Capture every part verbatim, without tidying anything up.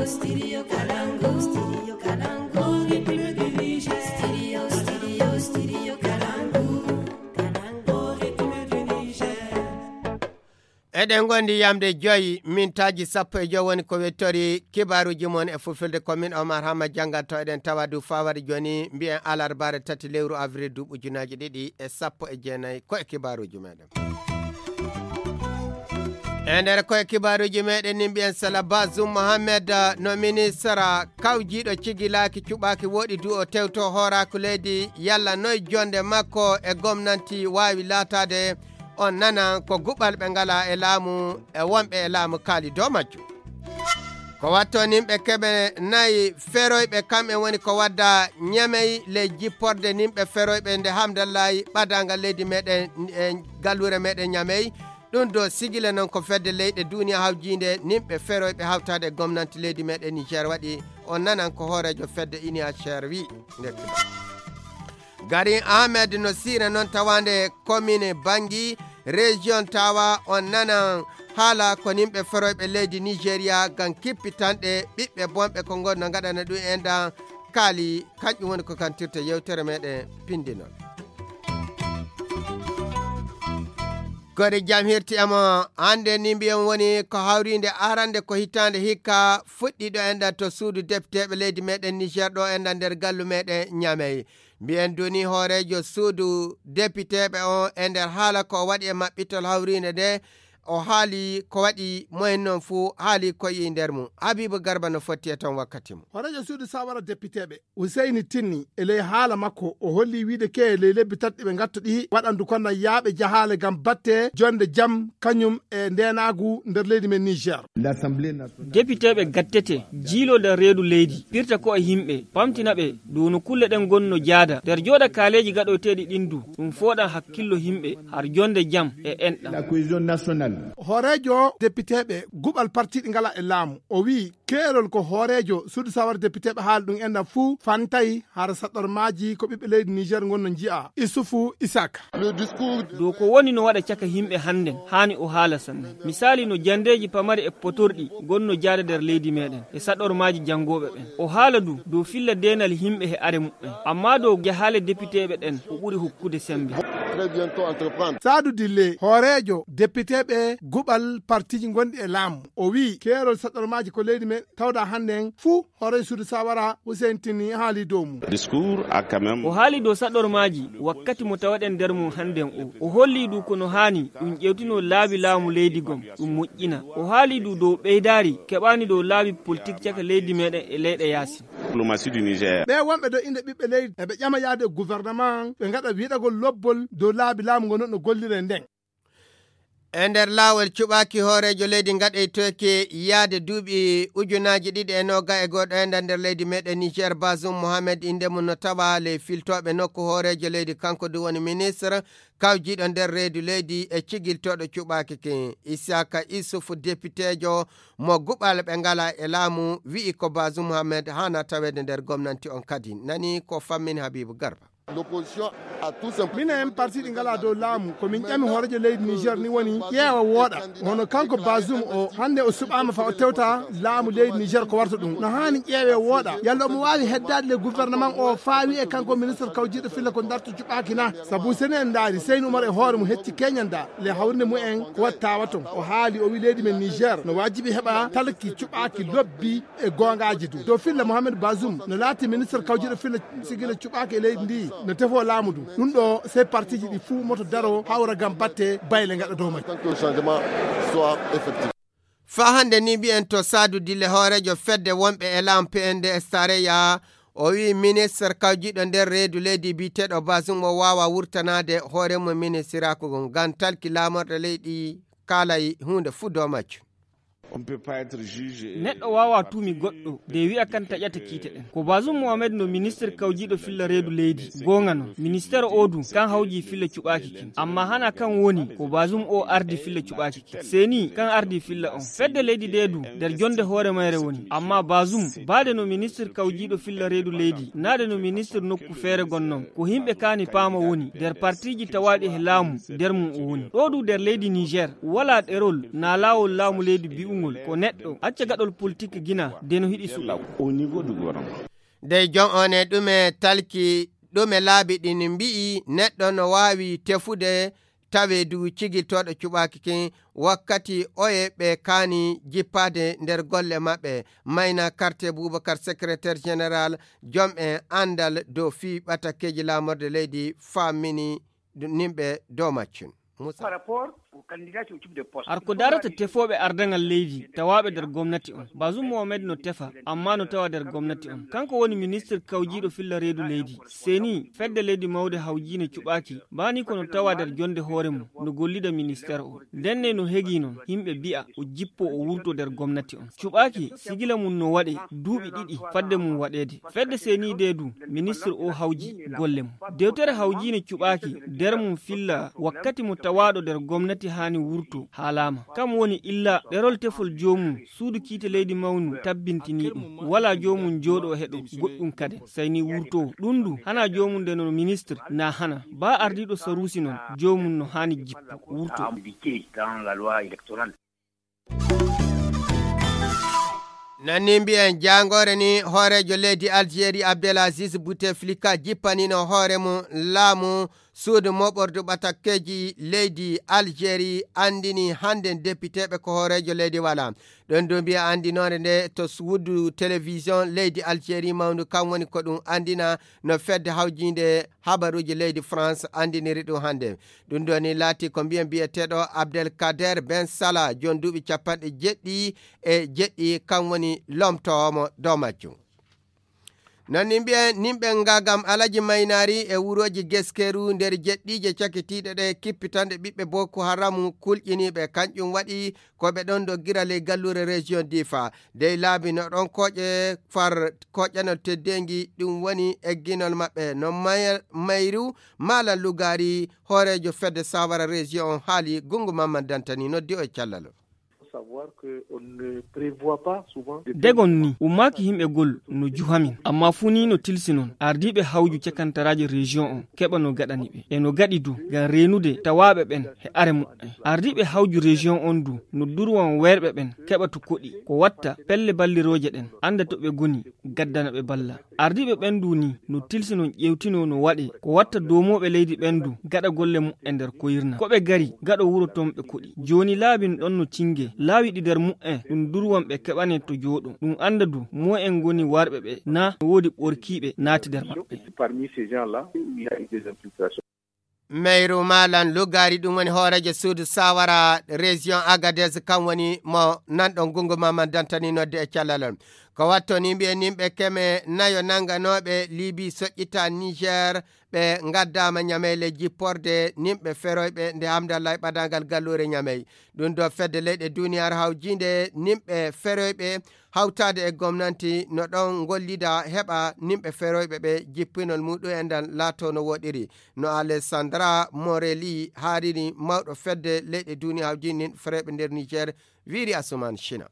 Studio Kalangu, Studio Kalangu, Republic du Niger. Studio, Studio, Studio Kalangu, Kalangu, Republic du Niger. Eɗen ngondi yamde joyi mintaaji sappo e joyi woni ko wettori kibaaruuji mon e fulfulde. Ko min Omar Hama jannganto, eɗen tawa du fawade jooni mbiyen alarbaare tati lewru avril duuɓi ujunaaji ɗiɗi e sappo e jeenayi. Ko e kibaaruuji meɗen. E nder ko e kibaaruuji meɗen ni mbiyen sala Bazum Mohamed, no ministre kawjiiɗo cigilaaki cuɓaaki woɗi du o tewto hooraaku leydi yalla noy jonde makko e gomnanti waawi laataade. On nanan ko guɓal ɓe ngala e laamu e wonɓe e laamu kaali dow majjum. Ko watto nimɓe keɓe nayi feroyɓe kamɓe woni ko wadda ñamey ley jipporde nimɓe feroyɓe nde hamdallayi ɓadaangal leydi meɗen e galluure meɗen ñamey. Ɗum do sigila noon ko fedde leyɗe duniya hawjiinde nimɓe feroyɓe hawtaade e gomnanti leydi meɗen Niger waɗi. On nanan ko hooreejo fedde iniya cher wi. Nde kibaa. Gari Ahmed no siira noon tawaande commune Bangi, région Tawa. On nanan haala ko nimɓe feroyɓe leydi Nigeria ngam kippitanɗe ɓiɓɓe bonɓe ko ngonno ngaɗana ɗum en dan kaali. Kanƴum woni ko kantirta yewtere meɗen pindinol. Gori jam hirti emo hannde ni mbiyen woni ko hawriinde arande ko hitaande hikka fuɗɗiiɗo enɗan to suudu depiteeɓe leydi meɗen Niger ɗo enɗan nder gallu meɗen Ñamey. Mbiyen duni hooreejo suudu depiteeɓe on e nder haala ko o waɗi e maɓɓitol hawriinde nde, o haali ko waɗi moyen noon fuu haali ko yi nder mum. Habibu Garba no fotti e toon wakkati mum. Hooreejo suudu sawara depiteeɓe Useyni Tinni e ley haala makko, o holli wiide ke ley lebbi tati ɗi ɓe ngatto ɗi waɗandu kono yaaɓe jahaale ngam batte jonde jam kañum e ndeenaagu nder leydi men Niger. Depiteeɓe gattete, jiiloo nder reedu leydi, pirta ko e yimɓe, pamtina ɓe dow no kulle ɗen ngonno jaada. Nder jooɗa kaaleeji gaɗoyteeɗi ɗin du, ɗum fooɗan hakkillo yimɓe har jonde jam e enɗam. Hooreejo depiteeɓe guɓal partiiɗi ngala e laamu, o wi'i keerol ko hooreejo suudu sawara depiteeɓe haali ɗum enɗam fuu fantay hara saɗormaaji ko ɓiɓɓe leydi Niger ngonno nji'a. Isufu Isaka. Dow ko woni no waɗa caka yimɓe hannden, haani o haala sanne. Misaali no jandeeji pamari e potorɗi ngonno jaada nder leydi meɗen e saɗormaaji janngooɓe ɓen. O haala du dow filla deenal yimɓe e are muɓɓen. Amma dow jahaale depiteeɓe ɗen, o ɓuri hokkude sembe. Saadu Dille, hooreejo depiteeɓe guɓal partiiji gonɗi e laamu, o wi'i keerol saɗormaaji ko leydi men tawda hannden fuu hooreejo suudu sawara Hussein Tinni haali dow mum. O haali dow saɗormaaji wakkati mo tawaɗen nder mum hannden o. O holli du ko no haani ɗum ƴewtino laabi laamu leydi gom, ɗum moƴƴina. O haali du dow ɓeydaari keɓaani dow laabi politik caka leydi meɗen e leyɗe yaasi. Ɓe wonɓe dow innde ɓiɓɓe leydi eɓe ƴama yaade e gouvernement ɓe ngaɗa wiɗagol lobbol dow laabi laamu ngon no gollire nden. E nder laawol cuɓaaki hooreejo leydi ngaɗeytoyke yaade duuɓi ujunaaji ɗiɗi e nooga e goɗo e nder leydi meɗen Niger, Bazum Mohamed innde mum no tawa ley filtooɓe nokku hooreejo leydi, kanko du woni ministre kawjiiɗo nder reedu leydi e cigiltooɗo cuɓaaki ki. Isaka Isufu, depiteejo mo guɓal ɓe ngala e laamu, wi'i ko Bazum Mohamed haana taweede nder gomnanti on kadi. Nani ko fammini Habibu Garba. Minen parti ɗi ngala dow laamu, ko min ƴami hooreejo leydi Niger ni woni ƴeewa wooɗa. Hono kanko Bazum o, hannde o suɓaama fa o tewta laamu leydi Niger ko warta ɗum. No haani ƴeewe wooɗa. Yalla omo waawi heddaade le gouvernement o faawi e kanko ministre kawjiiɗo filla ko darto cuɓaaki na. Sabu sene en ndaari, Seyni Umar e hoore mum hecci keñanda le hawrinde mum en ko waɗi tawa ton. O haali, o wi leydi men Niger no waajibi heɓa talki cuɓaaki lobbi e goongaaji du. Dow filla Mohamed Bazum no laati ministre kawjiiɗo filla sigila cuɓaaki e leydi ndi no tefo laamu du. Ɗum ɗo sey partiji ɗi fuu moto daro hawra ngam batte bayle ngaɗa dow majji. Faa hannde ni mbiyen to Saadu Dille hooreejo fedde wonɓe e laamu P N D S tarayya, o wi ministre kawjiiɗo nder reedu leydi biyeteeɗo Bazum o waawa wurtanaade hoore mum ministiraaku ngun ngam talki laamorɗe leydi kaalay huunde fuu dow majjum. Neɗɗo waawaa tuumi goɗɗo de wi'a kan taƴata kiite ɗen. Ko Bazum Mohamed no ministre kawjiiɗo filla reedu leydi. Goonga non, ministere o du kan hawji filla cuɓaaki kin. Amma hana kan woni ko Bazum o ardi filla cuɓaaki kin. Seni kan ardi filla on. Fedde leydi de du nder jonde hoore mayre woni. Amma Bazum baade no ministre kawjiiɗo filla reedu leydi, naade no ministre nokku feere gonnon. Ko himɓe kaani paama woni nder partiji tawaaɗi he laamu nder mum o woni. Ɗo du nder leydi Niger, walaa ɗerol naa laawol laamu leydi bi'ungo Ko neɗɗo acca gaɗol politik gina de no hiɗi suɓe. Dey jom on e ɗume talki, ɗume laabi ɗin mbi'i neɗɗo no waawi tefude tawe du cigiltooɗo cuɓaaki kin wakkati oye ɓe kaani jippaade nder golle maɓɓe. Mayna Karte Bubakar, secrétaire général jom en anndal dow fii ɓatakeeji laamorde leydi faamini nimɓe dow maccun. Musa. Har ko darata tefooɓe ardaŋal leydi tawaaɓe nder gomnati on, Bazum Mohamed no tefa, amma no tawa nder gomnati on. Kanko woni ministir kawjiiɗo filla reedu leydi. Seni, fedde leydi mawde hawjiine cuɓaaki, baani ko no tawa nder jonde hoore mum, no gollida ministeer o. Ndenne no hegii non, yimɓe mbi'a o jippo o wurto nder gomnati on. Cuɓaaki, sigila mum no waɗe duuɓi ɗiɗi fadde mum waɗeede. Fedde seniide du, ministir o hawji golle mum. Dewtere hawjiine cuɓaaki, nder mum filla wakkati mo tawaaɗo nder gomnati haani wurto haalaama. Kam woni illa ɗerol tefol joomum, suudu kiite leydi mawnu tabbintini ɗum. Walaa joomum jooɗo heɗo goɗɗum kade, say ni wurto. Ɗum du, hana joomum nde no ministir, na hana. Ba ardiiɗo saruusi non, joomum no haani jippo, wurto. Nanni mbiyen jaangoore ni, hooreejo leydi Algérie Abdelaziz Bouteflika jippanino hoore mum laamu suudu moɓordu ɓatakkeeji leydi Algérie anndini hannden depiteeɓe ko hooreejo leydi wala. Ɗon du mbiya anndinoore nde to suudu télévision leydi Algérie mawndu, kan woni ko ɗum anndina no fedde hawjiinde habaruuji leydi France anndiniri ɗum hannde. Ɗum ɗo ni laati ko mbiyen biyeteeɗo Abdelkader Ben Salah, jon duuɓi capanɗe jeɗɗi e jeɗɗi, kan woni lomtoowo mo dow majjum. Non ni mbiyen nimɓe ngagam Alaji Maynaari e wurooji Geskeru nder jeɗɗiije cakitiiɗe ɗe kippitanɗe ɓiɓɓe Boko Haramu kulƴiniiɓe. Kanƴum waɗi ko ɓe ɗon doggira ley galluure région Difa. Dey laabi no ɗon koƴe far koƴanol teddeengi, ɗum woni egginol maɓɓe. No may-, mayru Malam Lugari, hooreejo fedde Sawara région on haali Gungu Mamman Dantani noddi o e callal. Faut savoir que on ne prévoit pas souvent de Degon ni, ummaaki yimɓe gol no juhamin, amma fuu ni no tilsi non. Ardiiɓe hawju cakantaraaji région on keɓa no gaɗani ɓe. E no gaɗi du, ngam reenude tawaaɓe ɓen he are muɓɓen. Ardiiɓe hawju région on du, no durwan weerɓe ɓen keɓa to koɗi. Ko watta pelle ballirooje ɗen, annda to ɓe goni, gaddana ɓe balla. Ardiiɓe ɓen du ni, no tilsi non ƴeewtinoo no waɗee. Ko watta doomooɓe leydi ɓen du, gaɗa golle muɓɓen nder koyirna. Ko ɓe gari, gaɗo wuro ton ɓe koɗi. Jooni laabin ɗon no cinge, laawi ɗi nder muɓɓen, ɗum durwan ɓe keɓane to jooɗo. Ɗum annda du, mo'en ngoni warɓe ɓe, na no woodi ɓorkiiɓe naati nder maɓɓe. Parmi ces gens-là, il y a eu des infiltrations. Meyru Malan Lugari, ɗum woni hooreejo suudu Sawara, région Agadez, kan woni mo nanɗon Gungu Mamman Dantani noddi e callalon. Ko watto ni mbiyen nimɓe keme nayo nanganooɓe Libi soƴƴita Niger, ɓe ngaddaama Ñamey le jipporde nimɓe feroyɓe nde Hamdallahi ɓadaangal galluure Ñamey. Ɗum ɗo fedde leyɗe duniyaaru hawjiinde nimɓe feroyɓe hawtaade e gomnanti no ɗon ngollida heɓa nimɓe feroyɓe ɓe jippinol muɗum en ndan laato no woɗiri. No Alessandra Morelli haariri mawɗo fedde leyɗe duniyaaru hawjiinde nin feroyɓe nder Niger, wiiri Asuman Shina.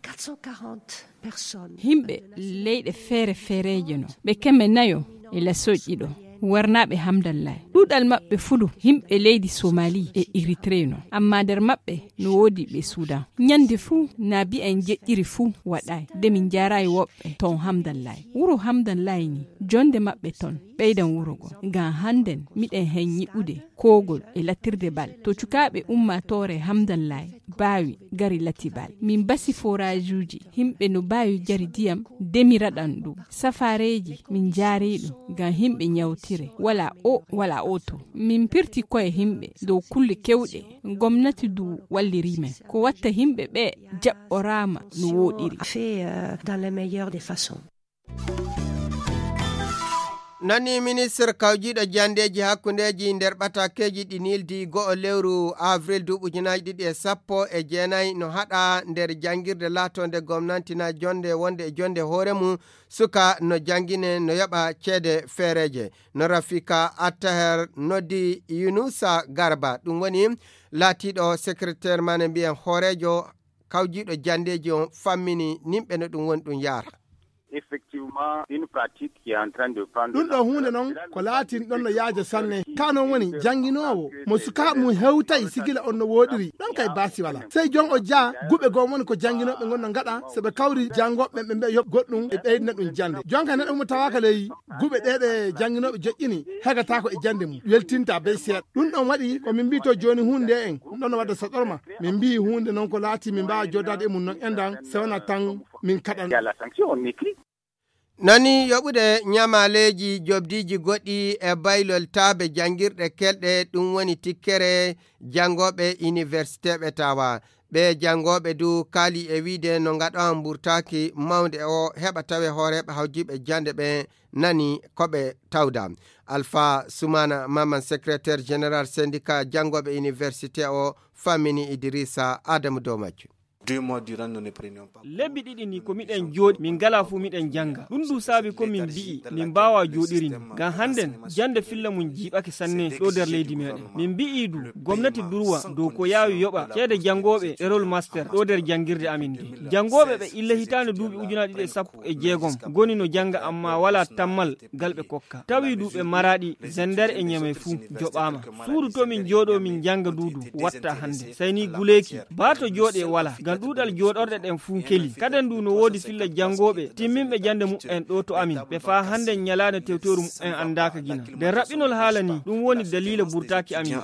Quatre cent quarante personnes. Himɓe leyɗe feere feereeje no, ɓe keme nayo e lasoƴƴi ɗo, warnaaɓe Hamdallahi. Ɗuuɗal maɓɓe fuu du, himɓe leydi Somali e Eritree no, amma nder maɓɓe no woodi ɓe Sudan. Ñande fuu, na bi'a en jeƴƴiri fuu waɗaay, de min njaaraay woɓɓe ton Hamdallahi. Wuro Hamdallahi ni, jonde maɓɓe ton, ɓeydan wuro go. Ngam hannden, miɗen hen nyiɓude koogol e latirde bal. To cukaaɓe ummaatoore Hamdallahi baawi gari lati bal. Min basi foraajuuji, himɓe no baawi jari diyam, de mi raɗan ɗum. Safaareeji, min njaari ɗum, ngam himɓe nyawtire. Wala o, wala o to. Min pirti koye himɓe dow kulle kewɗe. Gomnati du walliri men. Ko watta himɓe ɓe jaɓɓoraama no wooɗiri. Fait, euh, dans la meilleure des façons. Nani ministre kawjiiɗo janndeeji hakkundeeji nder ɓatakeeji ɗi nildi go'o lewru avril duuɓi ujunaaji ɗiɗi e sappo e jeenayi no haɗa nder janngirde laatonde gomnanti na jonde wonde e jonde hoore mum suka no janngine no yoɓa ceede feereeje. No Rafika Attaher noddi Yunusa Garba, ɗum woni laatiiɗo secrétaire maane mbiyen hooreejo kawjiiɗo janndeeji on fammini nimɓe no ɗum woni ɗum yaara. Une pratique qui est en train de prendre de ɗum ɗo l'ampleur. Huunde noon ko laatin ɗon no yaaja sanne. Ka noon woni jannginoowo mo sukaaɓe mum hewtay sigila on no wooɗiri. Ɗon kay baasi wala. Sey jon o jaa guɓe goo woni ko jannginooɓe ngon no ngaɗa, so ɓe kawri janngooɓe ɓe mbiya yoɓ goɗɗum e ɓeydina ɗum jannde. Jonka neɗɗo mo tawaaka ley guɓe ɗee ɗe jannginooɓe joƴƴini, hegataako e jannde mum, weltinta bey seeɗa. Ɗum ɗon waɗi ko min mbiito jooni huunde en, ɗum ɗon no wadda saɗorma. Min mbiyi huunde noon ko laati min mbaawa joodaade e mum noon enɗan, so wonaa tan min kaɗan. Nani yoɓude ñamaaleeji joɓdiiji goɗɗi e baylol taabe janngirɗe kelɗe, ɗum woni tikkere janngooɓe iniwersiteeɓe tawa. Ɓe janngooɓe du kaali e wiide no ngaɗowa mburtaaki mawnde o heɓa tawe hooreeɓe hawjiiɓe jannde ɓe nani ko ɓe tawda. Alfa Sumana Maman, secrétaire général syndicat janngooɓe iniwersite o, fammini Idrissa Adamu dow majjum. Deux mois durant, nous ne prenions pas. Lebbi ɗiɗi ni ko miɗen jooɗi, min ngala fuu miɗen jannga. Ɗum du saabi ko min mbi'i min mbaawa jooɗiri ni. Ngam hannden jannde filla mum jiiɓake sanne ɗo nder leydi meɗen. Min mbi'i du gomnati durwa dow ko yaawi yoɓa ceede janngooɓe ɗerol master ɗo nder janngirde amin nde. Janngooɓe ɓe illa hitaande duuɓi ujunaaji ɗiɗi e sappo e jeegom ngoni no jannga amma walaa tammal gal ɓe kokka. Tawi du ɓe maraɗi Zender e Ñamey fuu joɓaama. Suudu to min jooɗo min jannga du du watta hannde. Sey ni guleeki, baa to jooɗe wala, ngam ɗuuɗal jooɗorɗe ɗen fuu keli. Kaden du no woodi filla janngooɓe timminɓe jannde muɓɓen ɗo to amin. Ɓe faa hannden ñalaande tewtoru muɓɓen anndaaka gina. Nden raɓɓinol haala ni, ɗum woni daliila burtaaki amin.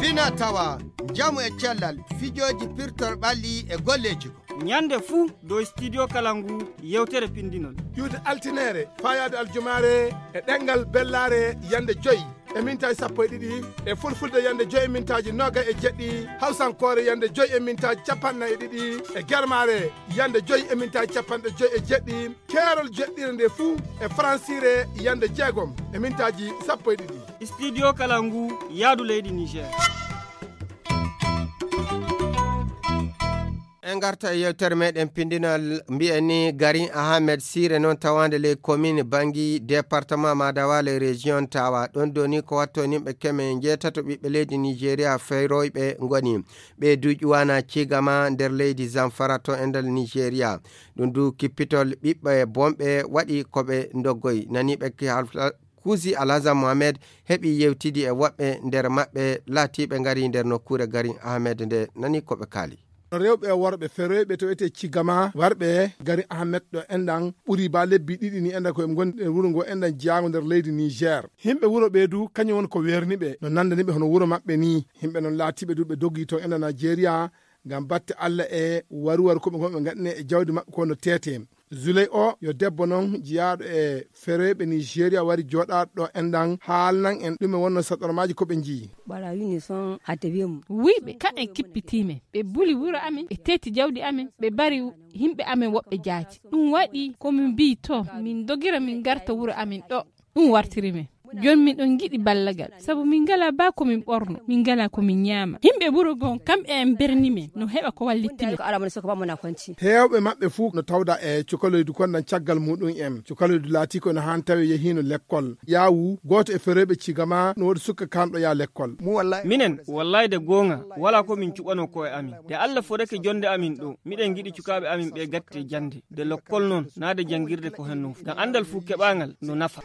Fina tawa, njamu e cellal, fijooji pirtor ɓalli e golleeji. Ñande fuu dow Studio Kalangu yewtere pindinol. Iwde altineere, faayaade aljumaare e ɗemngal bellaare yande joy e mintaaji sappo e ɗiɗi, e fulfulde yande joy e mintaaji noogay e jeɗɗi, hawsankoore yande joy e mintaaji capanɗe nayi e ɗiɗi, e germaare yande joy e mintaaji capanɗe joy e jeɗɗi, keerol jeɗɗire nde fuu e faransiire yande jeegom e mintaaji sappo e ɗiɗi. Studio Kalangu, yaadu leydi Niger. En ngarta e yewtere meɗen pindinal, mbiyen ni Garin Ahmed Sire noon tawaande ley commune Bangi, département Madawa, ley région Tawa. Ɗon doni ko watto nimɓe keme njeetato ɓiɓɓe leydi Nigeria feroyɓe ngoni. Ɓe duuƴi wana Cigama nder leydi Zamfara to e nder Nigeria. Ɗum du kippitol ɓiɓɓe bonɓe waɗi ko ɓe ndoggoyi. Nani ɓe ki half-, Kuusi Alhassan Mohamed heɓi yewtidi e woɓɓe nder maɓɓe laatiiɓe ngari nder nokkuure Garin Ahmed nde, nani ko ɓe kaali. Rewɓe e worɓe feroyɓe to etee Cigama warɓe Garin Ahmed ɗo enɗan ɓuri ba lebbi ɗiɗi ni enɗan ko ɓe ngoni e wuro ngo enɗan jeyaango nder leydi Niger. Himɓe wuro ɓe du kañum woni ko werni ɓe no nandani ɓe hono wuro maɓɓe ni. Himɓe non laatiiɓe du ɓe dogi toon enɗan Nigeria ngam batte Allah e waruwar ko ɓe ngon ɓe ngaɗine e jawdi maɓɓe ko no teete. Zuley o yo debbo noon jiyaaɗo e feroyɓe Nigeria wari jooɗaaɗo ɗo enɗan haalnan en ɗume wonno saɗormaaji ko ɓe njiyi. Ɓarayi ne son a tabe mu. Wuyɓe kaɓen kippitiimen, ɓe buli wuro amen, ɓe teeti jawdi amen, ɓe bari yimɓe amen woɓɓe jaati. Ɗum waɗi ko min mbiyi to min dogira min ngarta wuro amen ɗo. Ɗum wartiri men. Jooni min ɗon ngiɗi ballagal, sabu min ngalaa baa ko min ɓorno, min ngalaa ko min ñaama. Yimɓe wuro ngon kamɓe en berni men no heɓa ko wallitti men. Heewɓe maɓɓe fuu no tawda e cukaloydu kon nan caggal muɗum en. Cukaloydu laati ko no haan tawi yehiino lekkol. Yaawu, gooto e feroyɓe Cigama no woodi suka kanɗo yaa lekkol. Minen, wallaay de goonga, walaa ko min cuɓanoo ko'e amin. De Allah fodake jonde amin ɗo, miɗen ngiɗi cukaaɓe amin ɓe gatte jannde. De lokkol noon, naa de janngirde ko heen noon. Ngam anndal fuu keɓaangal no nafa.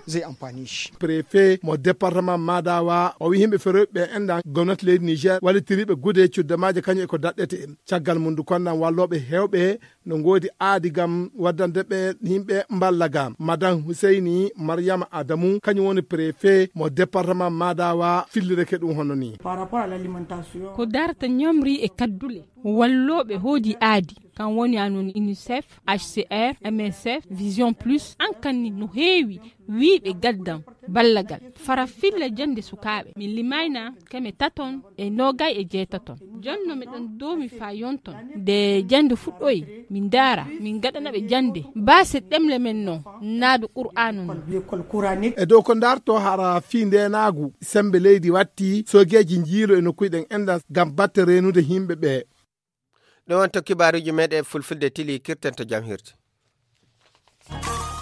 Préfet mo département Madawa, o wi'i yimɓe feroyɓe ɓe enɗan gomnati leydi Niger wallitiriiɓe gude cuddamaaje kañum e ko daɗɗete. Caggal mum du konnan wallooɓe heewɓe no ngoodi aadi ngam waddande ɓe yimɓe mballa ga. Madame Huseyni Mariama Adamu, kañum woni préfet mo département Madawa, fillireke ɗum hono ni. Ko darta ñamri e kaddule. Wallooɓe hoodi aadi, kam woni anon UNICEF, H C R, M S F, Vision Plus, an kan ni no heewi wiiɓe gaddan ballagal. Fara filla jannde sukaaɓe. Min limayna keme taton e noogay e jeetaton. Jonno miɗon doomi faa yonton. Nde jannde fuɗɗoyi, min ndaara, min ngaɗana ɓe jannde. Baase ɗemle men non, naadu Qur'aanu non. E dow ko darto hara fii ndeenaagu, sembe leydi watti, soogeeji njiilo e nokkuuji ɗen enɗan ngam batte reenude yimɓe ɓe. Ɗum wonto kibaaruuji meɗen fulfulde tili kirten to jam hirde.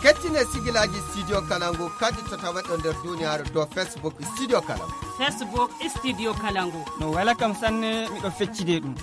Kettine sigilaaji Studio Kalangu kadi to tawaɗo nder duniyaaru dow Facebook Studio Kalangu. Facebook Studio Kalangu. No wela kam sanne, miɗo feccide ɗum.